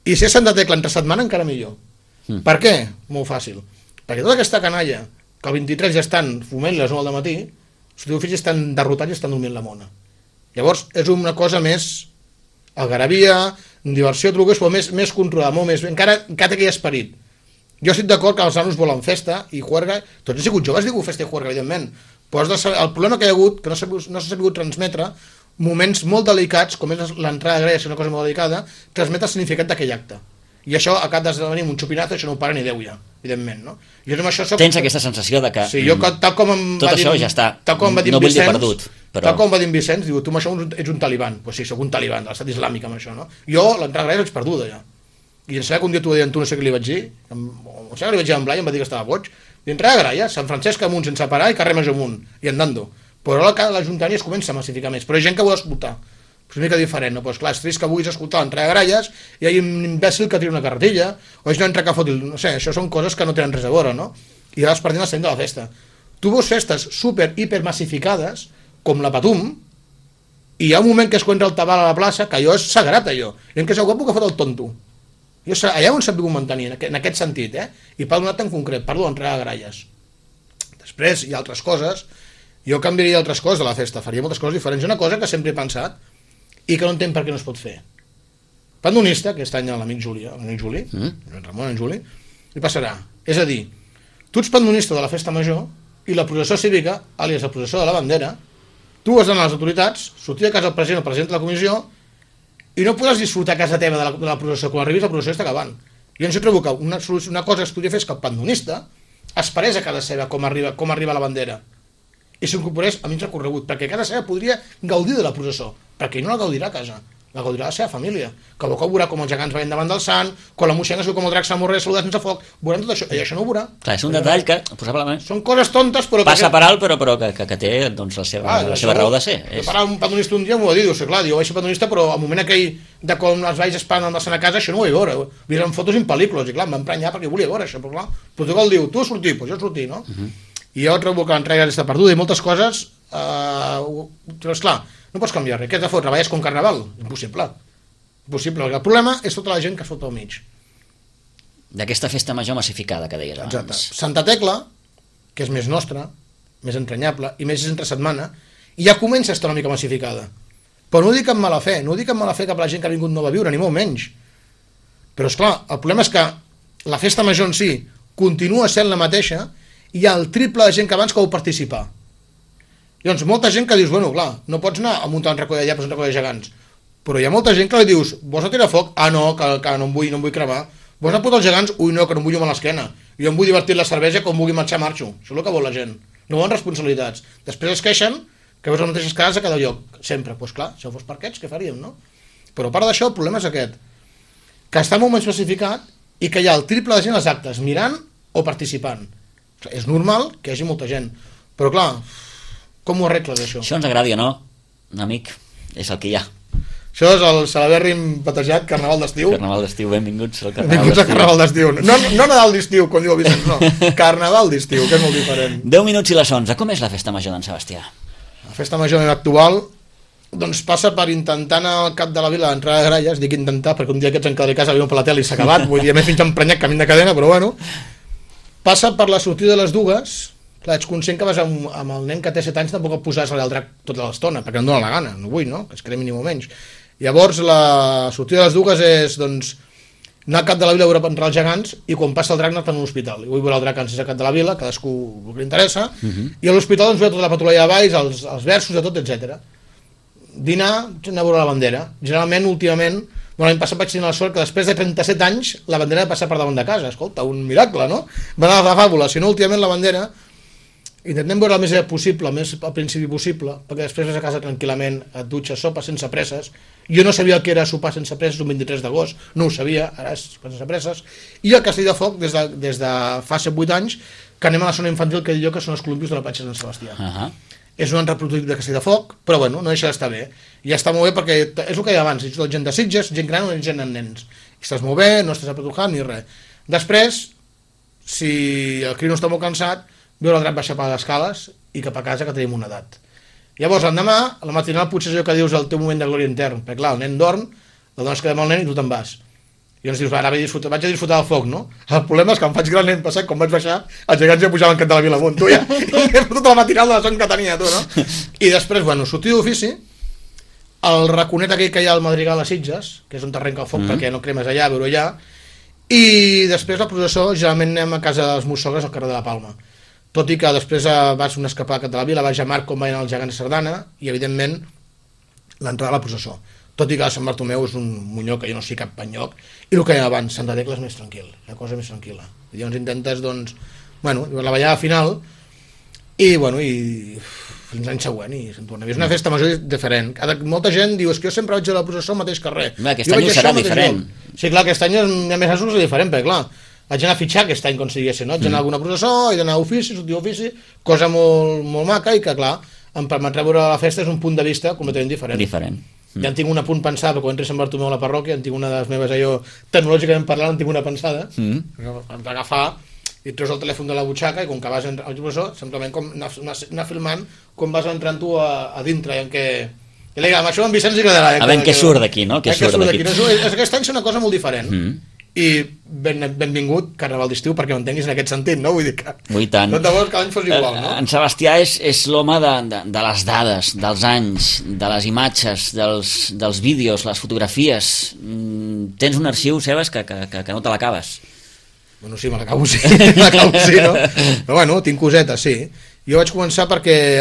I si és Sant de Tecla entre setmana, encara millor. Per què? Molt fàcil. Perquè tota aquesta canalla, que el 23 ja estan fumant les 9 del matí, sortida d'ofici estan derrotats i estan dormint la mona. Llavors, és una cosa més algarabia, diversió, truques, però més controlada, molt més, encara té aquell esperit. Jo estic d'acord que els nanos volen festa i juerga, tots han sigut joves, diu festa i juerga, evidentment, però el problema que hi ha hagut, que no s'ha sabut transmetre, moments molt delicats, com és l'entrada de grella, és una cosa molt delicada, transmetre el significat d'aquell acte. I això, a cap d'esdevenir un xupinazo, això no ho para ni Déu ja, evidentment, no? Jo amb això Tens aquesta sensació de que sí, jo, tal com tot això ja està, no vull dir perdut. Però... Tal com va dir Vicenç, diu, tu amb això ets un taliban. Pues sí, soc un taliban de l'estat islàmic amb això, no? Jo, l'entrada de grella, vaig perduda ja. I em sembla que un dia t'ho deien tu, no sé què li vaig dir, o sé que li vaig dir en Blai, em va dir que estava boig, dintre de gralla, Sant Francesc amunt sense parar i carrer Major amunt, i andando. Però ara l'Ajuntament es comença a massificar més, però hi ha gent que vol escoltar. És una mica diferent, no? Pues clar, és trist que vulguis escoltar l'entrada de gralles i hi ha un imbècil que tira una carretilla, o és un altre que fot, no sé, això són coses que no tenen res a veure, no? I ara es perdent el centre de la festa. Tu veus festes super, hiper massificades, com la Patum, i hi ha un moment que es entra el tabal a la plaça, que allò és sagrat, allò. I en què és el guapo que fot el tonto. Allà on s'ha pogut mantenir, en aquest sentit, i per un acte en concret, parlo d'entrada de gralles. Després hi ha altres coses, jo canviaria altres coses de la festa, faria moltes coses diferents. Una cosa que sempre he pensat i que no entenc per què no es pot fer. Pandonista, aquest any l'amic Juli, en Ramon, en Juli, li passarà. És a dir, tu ets pandonista de la festa major i la processó cívica, àlies la processó de la bandera, tu has d'anar a les autoritats, sortir de casa el president o el president de la comissió i no podràs disfrutar a casa teva de la processó. Quan arribis la processó està acabant. Jo ens trobo que una cosa que es podria fer és que el pandonista esperés a casa seva com arriba la bandera i s'incorporés a mig recorregut, perquè a casa seva podria gaudir de la processó, perquè ell no la gaudirà a casa, la gaudirà la seva família, que veurà com els gegants veien davant del sant, quan la moixena com el drac s'amorre saludat sense foc, veuran tot això, i això no ho veurà. Clar, és un detall que, possiblement, són coses tontes, però... passa per alt, però que té doncs, la seva raó de ser. Jo parava un pandonista un dia, m'ho va dir, clar, jo vaig ser pandonista, però al moment aquell de com els valls es paren a casa, això no ho vaig veure, vist en fotos i en pel·lícules, i clar, em va emprenyar perquè volia veure això, però clar, el protocol diu, tu sortir, doncs jo sortir, no? I jo trobo que l'entrega està perduda i moltes coses, però esclar, no pots canviar res. Què has de fotre? Treballes com carnaval? Impossible. Impossible, perquè el problema és tota la gent que es fot al mig. D'aquesta festa major massificada que deies abans. Exacte. Santa Tecla, que és més nostra, més entranyable i més entre setmana, i ja comença a estar una mica massificada. Però no ho dic amb mala fe, no ho dic amb mala fe cap a la gent que ha vingut no va viure, ni molt menys. Però esclar, el problema és que la festa major en si continua sent la mateixa, hi ha el triple de gent que abans que vau participar. Llavors, molta gent que dius, bueno, clar, no pots anar a muntar un racó d'allà, però un racó de gegants. Però hi ha molta gent que li dius, vols a tirar foc? Ah, no, que no em vull cremar. Vols anar a putar els gegants? Ui, no, que no em vull a l'esquena. Jo em vull divertir la cervesa, quan vulgui marxar, marxo. Això és el que vol la gent. No volen responsabilitats. Després es queixen que veus les mateixes cases a cada lloc. Sempre. Doncs clar, si fos per aquests, què faríem, no? Però a part d'això, el problema és aquest. Que està molt menys especificat i que hi ha el triple de gent als actes, mirant o participant. És normal que hi hagi molta gent. Però clar, com ho arregles, això? Això ens agradi o no, amic, és el que hi ha. Això és el celebèrrim batejat Carnaval d'estiu. Carnaval d'estiu, benvinguts al Carnaval d'estiu. No Nadal d'estiu, com diu el Vicenç, no. Carnaval d'estiu, que és molt diferent. 10 minuts i les 11. Com és la festa major d'en Sebastià? La festa major actual doncs passa per intentar anar al cap de la vila d'entrada de gralles, dic intentar perquè un dia aquests en cada casa viuen per la tele i s'ha acabat, vull dir, a més fins emprenyat camí de cadena, però bueno. Passa per la sortida de les dues. Clar, ets conscient que vas amb el nen que té 7 anys, tampoc et posaràs al drac tota l'estona, perquè no dóna la gana, no vull, no? Que es cremi ni molt menys. Llavors, la sortida de les dues és, doncs, anar al cap de la vila a veure entrar els gegants i quan passa el drac anar a l'hospital. I vull veure el drac antes al cap de la vila, cadascú el que li interessa, i a l'hospital doncs veure tota la patrulla de valls, els versos, de tot, etc. Dinar, anar a veure la bandera. Generalment, últimament, l'any passat vaig tenir la sort que després de 37 anys la bandera va passar per davant de casa. Escolta, un miracle, no? Va anar a la fàbula. Si no, últimament la bandera intentem veure el més possible, el més al principi possible, perquè després vas a casa tranquil·lament, et dutxes, sopes sense presses. Jo no sabia el que era sopar sense presses un 23 d'agost, no ho sabia, ara és sense presses. I el Castell de Foc, des de fa 7-8 anys, que anem a la zona infantil, que diu que són els columpios de la platja de Sant Sebastià. És un altre prototip de Castell de Foc, però bueno, no deixa d'estar bé. I ja està molt bé perquè és el que hi ha abans, és tot gent de Sitges, gent gran o gent amb nens. I estàs molt bé, no estàs apretujant ni res. Després, si el crio no està molt cansat, veure el drac baixar per les escales i cap a casa que tenim una edat. Llavors, l'endemà, a la matinal potser és allò que dius el teu moment de glòria intern, perquè clar, el nen dorm, la dona es queda amb el nen i tu te'n vas. I llavors dius, ara vaig a disfrutar del foc, no? El problema és que em faig gran l'any passat, quan vaig baixar, els gegants ja pujaven cap de la vila amunt, tu ja, i tota la matinal de la son que tenia, tu, no? I després, bueno, sortir d'ofici, el raconet aquell que hi ha al Madrigal a Sitges, que és on t'arrenca el foc perquè no cremes allà, veure allà, i després la processó, generalment anem a casa dels meus sogres al carrer de la Palma. Tot i que després vas una escapada de la vila, vaig a Marc com veien els gegants de Sardana i, evidentment, l'entrada a la processó. Tot i que Sant Bartomeu és un munyó que jo no sé cap enlloc, i el que hi ha abans, Santa Tecla és més tranquil, la cosa més tranquil·la. I llavors intentes, doncs, bueno, la ballada final, i, bueno, i fins l'any següent, i se'n torna. És una festa major diferent. Molta gent diu, és que jo sempre vaig a la processó al mateix carrer. Aquest any serà diferent. Sí, clar, aquest any a més és diferent, perquè, clar, vaig anar a fitxar aquest any, com si diguéssim, no? Vaig anar a alguna processó, he d'anar a ofici, sortir a ofici, cosa molt, molt maca i que, clar, em permetrà veure la festa és un punt de vista completament diferent. Ja en tinc un apunt pensat, quan entri a Sant Bartomeu a la parròquia, en tinc una de les meves, allò, tecnològicament parlant, en tinc una pensada, hem d'agafar i et treus el telèfon de la butxaca i com que vas a processó, simplement com anar filmant com vas entrant tu a dintre, i en què... I amb això en Vicenç li agradarà. A veure què surt d'aquí, no? Què surt d'aquí. Aquest any és una cosa molt diferent. i benvingut Carnaval d'estiu, perquè ho entenguis en aquest sentit, no? Vull dir que Ui, tant. tant de bo que l'any fos igual, no? En Sebastià és l'home de les dades, dels anys, de les imatges, dels vídeos, les fotografies. Tens un arxiu, Sebas, que no te l'acabes. Bueno, sí, me l'acabo sí, no? Però bueno, tinc cosetes, sí. Jo vaig començar perquè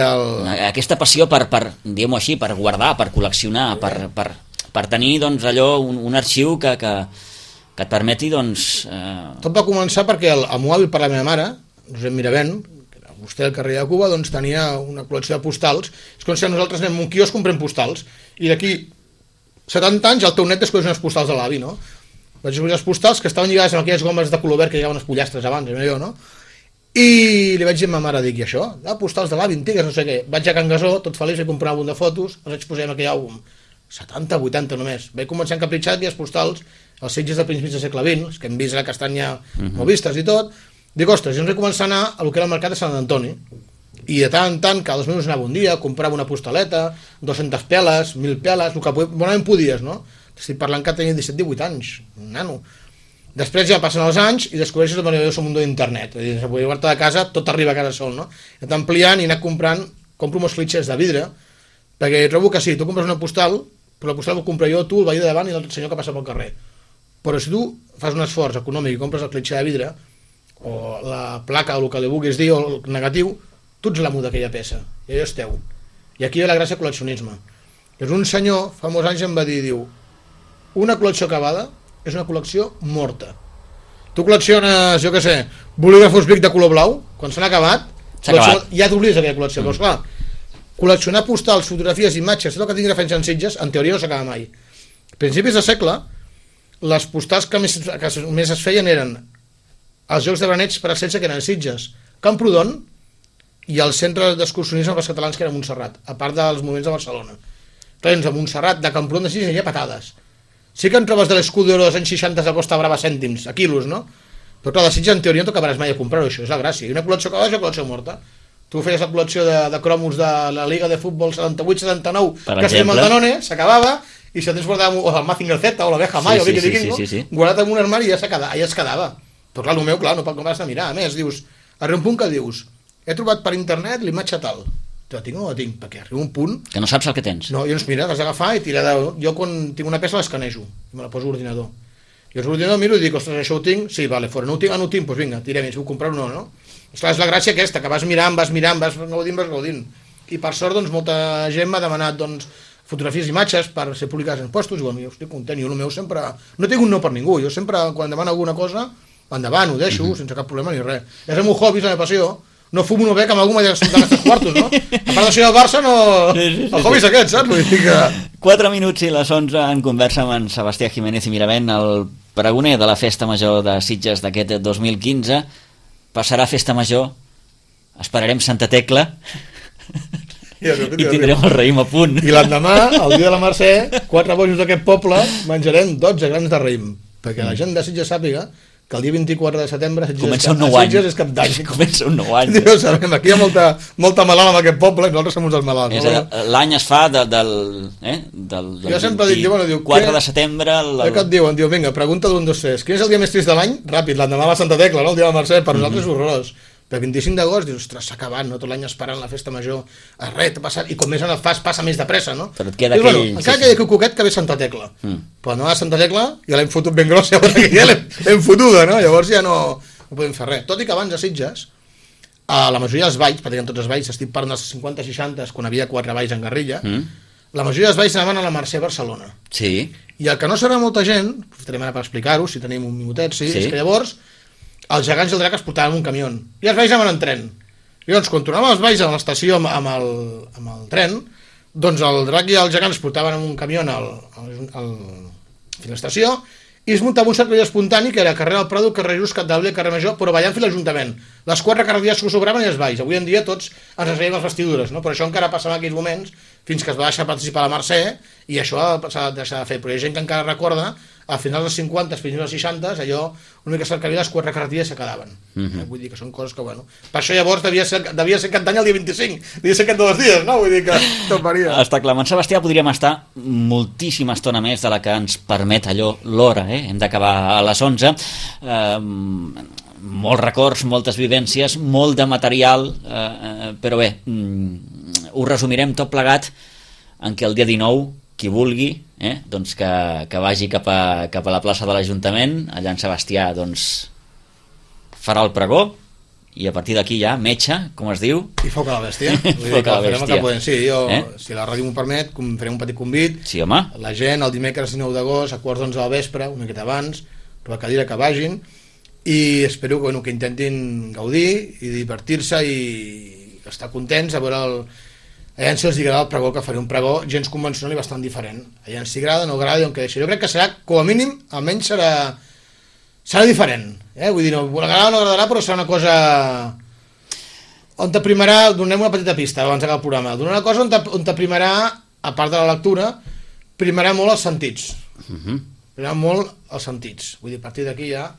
Aquesta passió per diguem-ho així, per guardar, per col·leccionar, per tenir, doncs, allò, un arxiu que et permeti, doncs... Tot va començar perquè el mòbil per la meva mare, Josep Miravent, que era vostè al carrer de Cuba, doncs tenia una col·lecció de postals. És com si nosaltres anem a un quiosc, comprem postals, i d'aquí 70 anys el teu net descobreix unes postals de l'avi, no? Vaig descobrir les postals que estaven lligades amb aquelles gomes de color verd que llegaven els pollastres abans, jo, no? I li vaig dir a ma mare, dic, i això? Postals de l'avi antigues, no sé què. Vaig a Can Gasó, tot feliç, vaig comprar un àlbum de fotos, els vaig posar en aquell àlbum. 70, 80 només. Vaig començar a encapritxar aquelles postals, els Sitges de principis del segle XX, que hem vist a la castanya molt vistes i tot. Dic, ostres, jo vaig començar a anar a lo que era el mercat de Sant Antoni, i de tant en tant, cada 2 minuts anava un dia, comprava una postaleta, 200 peles, 1.000 peles, el que bonament podies, no? Estic parlant que tenia 17-18 anys, un nano. Després ja passen els anys i descobreixes el meravelloso mundo d'internet. És a dir, se podia guardar de casa, tot arriba a casa sol, no? He anat ampliant i he anat comprant, compro molts clitxers de vidre, perquè trobo que sí, tu compres una postal, però la postal la compro jo, tu, el veí de davant i l'altre senyor que passa pel carrer. Però si tu fas un esforç econòmic i compres el clitxer de vidre, o la placa, o el que li vulguis dir, o el negatiu, tu ets l'amo d'aquella peça, i allò és teu. I aquí ve la gràcia col·leccionisme. És un senyor, fa molts anys em va dir, diu, una col·lecció acabada és una col·lecció morta. Tu col·lecciones, jo què sé, bolígrafos Bic de color blau, quan s'han acabat, ja t'oblides aquella col·lecció, però esclar, col·leccionar postals, fotografies, imatges, tot el que tingui referència en Sitges, en teoria no s'acaba mai. A principis de segle, les postals que més es feien eren els Jocs de Braneig per ascensa, que eren Sitges, Camprodon, i el centre d'excursionisme pels catalans, que era Montserrat, a part dels moments de Barcelona. Tens a Montserrat, de Camprodon de Sitges, hi ha patades. Sí que en trobes de l'Escudero dels anys 60 de Costa Brava cèntims, a quilos, no? Però clar, de Sitges en teoria no t'acabaràs mai a comprar-ho, això és la gràcia. I una col·lecció acabada és una col·lecció morta. Tu feies la col·lecció de cromos de la Liga de Futbol 78-79, que estem al Danone, s'acabava, i si el tens guardat, o el Mazinger Z, o la Beja Mai, o Vicky Vikingo, guardat en un armari i ja es quedava. Però clar, el meu, clar, no has de mirar. A més, dius, arriba un punt que dius, he trobat per internet l'imatge tal. Te la tinc o no la tinc? Perquè arriba un punt... Que no saps el que tens. No, jo mira, l'has d'agafar i tirar de... Jo quan tinc una peça l'escanejo, i me la poso a l'ordinador. Jo a l'ordinador miro i dic, ostres, això ho tinc? Sí, vale, fora. No ho tinc? Ah, no ho tinc? Doncs vinga, tirem, si vull comprar-ho no, no? Esclar, és la gràcia aquesta, que vas mirant, vas gaudint. I per sort, doncs, molta gent m'ha demanat, doncs, fotografies i imatges per ser publicades en postos, i bueno, jo estic content, jo el meu sempre... No tinc un no per ningú, jo sempre, quan demano alguna cosa, endavant, ho deixo, sense cap problema ni res. És el meu hobby, és la meva passió. No fumo, no bec, amb algú m'ha de gastar els 3 quartos, no? A part de ser el Barça, no... El hobby és aquest, saps? Vull dir que... 4 minuts i les 11 en conversa amb en Sebastià Jiménez i Miravent, el pregoner de la Festa Major de Sitges d'aquest 2015. Passarà Festa Major, esperarem Santa Tecla i tindrem el raïm a punt. I l'endemà, el dia de la Mercè, 4 bojos d'aquest poble, menjarem 12 grans de raïm, perquè la gent de Sitges sàpiga que el dia 24 de setembre comença un nou any. És cap d'any. Comença un nou any. Diu, sabem, aquí hi ha molta malalt en aquest poble i nosaltres som uns dels malalts. L'any es fa del jo sempre dic, bueno, 4 de setembre... Què et diuen? Diu, vinga, pregunta d'un, dos, tres. Quin és el dia més trist de l'any? Ràpid, l'endemà la Santa Tecla, no? El dia de la Mercè, per nosaltres és horrorós. Però el 25 d'agost dius, ostres, s'ha acabat, no? Tot l'any esperant la festa major, res, passat, i com més en el fas, passa més de pressa, no? Però et queda aquell... Bueno, encara queda aquell coquet que ve Santa Tecla. Però no a Santa Tecla, ja l'hem fotut ben grossa, ja l'hem fotuda, no? Llavors ja no podem fer res. Tot i que abans a Sitges, a la majoria dels balls, pràcticament tots els balls, estic parlant dels 50-60, quan havia 4 balls en Garrilla, la majoria dels balls anaven a la Mercè Barcelona. Sí. I el que no serà molta gent, aprofitarem ara per explicar-ho, si tenim un minutet, sí. És que llavors els gegants i el drac es portaven en un camió i els balls anaven en tren. I doncs quan tornaven els balls a l'estació amb el tren, doncs el drac i el gegant es portaven en un camió fins a l'estació i es muntava un cercle espontani que era carrer del Prado, carrer Just, Capdavila i carrer Major, però ballant fins a l'Ajuntament. Les 4 carreries que sobraven i els balls. Avui en dia tots ens reien les vestidures, no? Però això encara passava en aquells moments fins que es va deixar participar a la Mercè i això s'ha de deixar de fer. Però hi ha gent que encara recorda a finals dels 50, fins als 60, allò, una mica cercavia, les 4 carreteres se quedaven. Vull dir que són coses que, bueno... Per això llavors devia ser aquest any el dia 25, devia ser aquest de 2 dies, no? Vull dir que tot varia. Està clar, amb Sebastià podríem estar moltíssima estona més de la que ens permet allò l'hora, hem d'acabar a les 11. Molts records, moltes vivències, molt de material, però bé, ho resumirem tot plegat en què el dia 19, qui vulgui, doncs que vagi cap a la plaça de l'Ajuntament, allà en Sebastià doncs, farà el pregó, i a partir d'aquí ja, metge, com es diu? I foc a la bèstia. Foc a la bèstia. Sí, jo, si la ràdio m'ho permet, farem un petit convit. Sí, home. La gent, el dimecres 19 d'agost, a quarts d'11 del vespre, una miqueta abans, per la cadira que vagin, i espero que intentin gaudir i divertir-se i estar contents a veure allà si els agrada el pregó, que faré un pregó gens convencional i bastant diferent. Allà si agrada, no agrada i on que deixi. Jo crec que serà, com a mínim, almenys serà diferent. Vull dir, no agradarà o no agradarà, però serà una cosa on t'aprimarà, donem una petita pista abans d'acabar el programa, donar una cosa on t'aprimarà, a part de la lectura, primarà molt els sentits. Primarà molt els sentits. Vull dir, a partir d'aquí ja...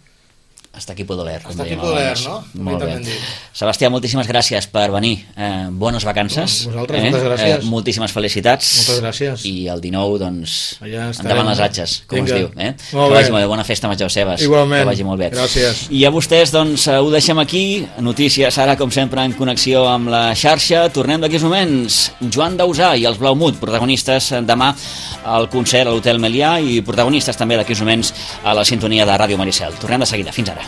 Hasta aquí puedo leer. Hasta aquí puedo leer, no? Molt bé. Sebastià, moltíssimes gràcies per venir. Bones vacances. Vosaltres, moltes gràcies. Moltíssimes felicitats. Moltes gràcies. I el 19, doncs, endavant les atxes, com es diu. Que vagi molt bé. Bona festa major, Sebas. Igualment. Que vagi molt bé. Gràcies. I a vostès, doncs, ho deixem aquí. Notícies ara, com sempre, en connexió amb la xarxa. Tornem d'aquí uns moments. Joan Dausà i els Blaumut, protagonistes demà al concert a l'Hotel Melià i protagonistes també d'aquí uns moments a la sintonia de Ràdio Maricel. Tornem de seguida. Fins ara.